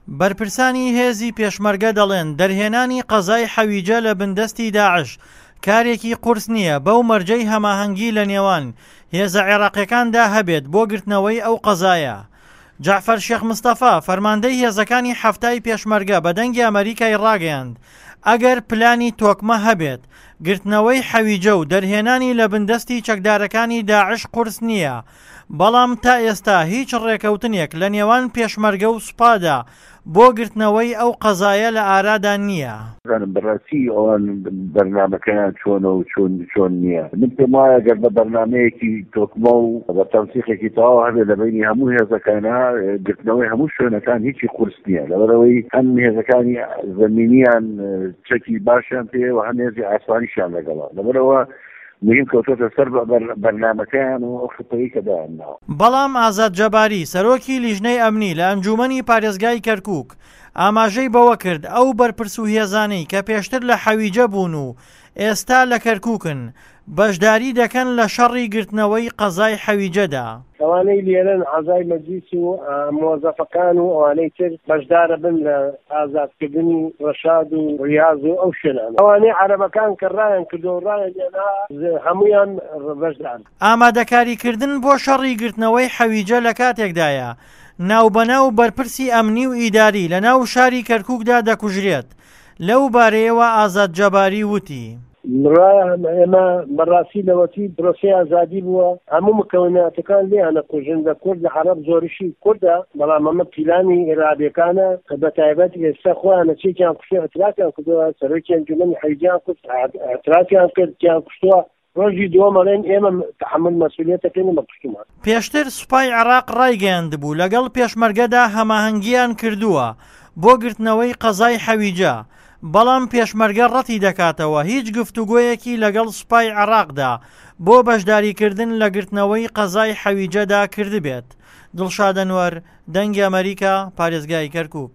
بەرپرسانی هێزی پێشمەرگە دەڵێن دەرهێنانی قەزای حەویجە لە بندەستی داعش کارێکی قورس نییە بەو مەرجەی هەماهەنگی لە نێوان هێزە عێراقیەکاندا هەبێت بۆ گرتنەوەی ئەو قەزایە. جەعفەر شێخ مستەفا، فەرماندەی هێزەکانی حەفتای پێشمەرگە بە دەنگی ئەمەریکای ڕاگەیاند، ئەگەر پلانی تۆکمە هەبێت، گرتنەوەی حەویجە و دەرهێنانی لە بندەستی چەکدارەکانی داعش قورس نییە، بەڵام تا ئێستا هیچ ڕێکەوتنێک لە نێوان پێشمەرگە و سوپادا بۆ گرتنەوەی ئەو قەزایە لە ئارادا نییە. نازانم بەڕاستی ئەوان بەرنامەکەیان چۆنە و چۆن چۆن نییە. من پێم وایە گەر بە بەرنامەیەکی تۆکمە و بە تەنسیقێکی تەواو هەبێ لە بەینی هەموو هێزەکانا، گرتنەوەی هەموو شوێنەکان هیچی قورس نییە. لەبەرئەوەی هەم هێزەکانی زەمینیان چەکی باشیان پێیە و هەم هێزی ئاسمانیشیان لەگەڵە. لەبەرئەوە مهم کەوتۆتە سەر بەرنامەکەیان و ئەو خطەی کە دایانناوە. بەڵام ئازاد جەباری، سەرۆکی لیژنەی ئەمنی لە ئەنجوومەنی پارێزگای کەرکووک، ئاماژەی بەوە کرد، ئەو بەرپرس و هێزانەی کە پێشتر لە حەویجە بوون و ئێستا لە کەرکووکن، بەشداری دەکەن لە شەڕی گرتنەوەی قەزای حەویجەدا. ئەوانەی لێرەن ئەعزای مەجلیس و مۆزەفەکان و ئەوانەی تر بەشدارەبن لە ئازادکردنی ڕەشاد و ڕیاز و ئەو شوێنانە. ئەوانەی عەرەبەکان کە ڕایان کردووە و ڕایان لێنا هەموویان بەشدارن. ئامادەکاریکردن بۆ شەڕی گرتنەوەی حەویجە لە کاتێکدایە، ناوبەناو بەرپرسی ئەمنی و ئیداری لەناو شاری کەرکوکدا دەکوژرێت، لەو بارەیەوە ئازاد جەباری وتی. ئێمە بەڕاستی لەوەتی پرۆسەی ئازادی بووە هەموو مکەوناتەکان لێیان ئەکوژن لە کورد لە عەڕەب زۆریشی کوردە بەڵام ئەمە پیلانی ئیرهابیەکانە کە بەتایبەت ئێستا خۆیان چێکیان کوشتوە ئیعترافیان کردووە سەرۆکی ئەنجومەنی حەویجەیان کوشت ئیعترافیان کرد کیان کوشتووە ڕۆژی دووەم ئەڵێن ئێمە تەحەمول مەسئولیەتەکەین ئێمە کوشتومان. پێشتر سوپای عێراق ڕایگەیاندبوو، لەگەڵ پێشمەرگەدا هەماهەنگییان کردووە بۆ گرتنەوەی قەزای حەویجە، بەڵام پێشمەرگە ڕەتی دەکاتەوە هیچ گفتوگۆیەکی لەگەڵ سوپای عێراقدا بۆ بەشداریکردن لە گرتنەوەی قەزای حەویجەدا کردبێت. دڵشاد ئەنوەر، دەنگی ئەمەریکا، پارێزگای کەرکوک.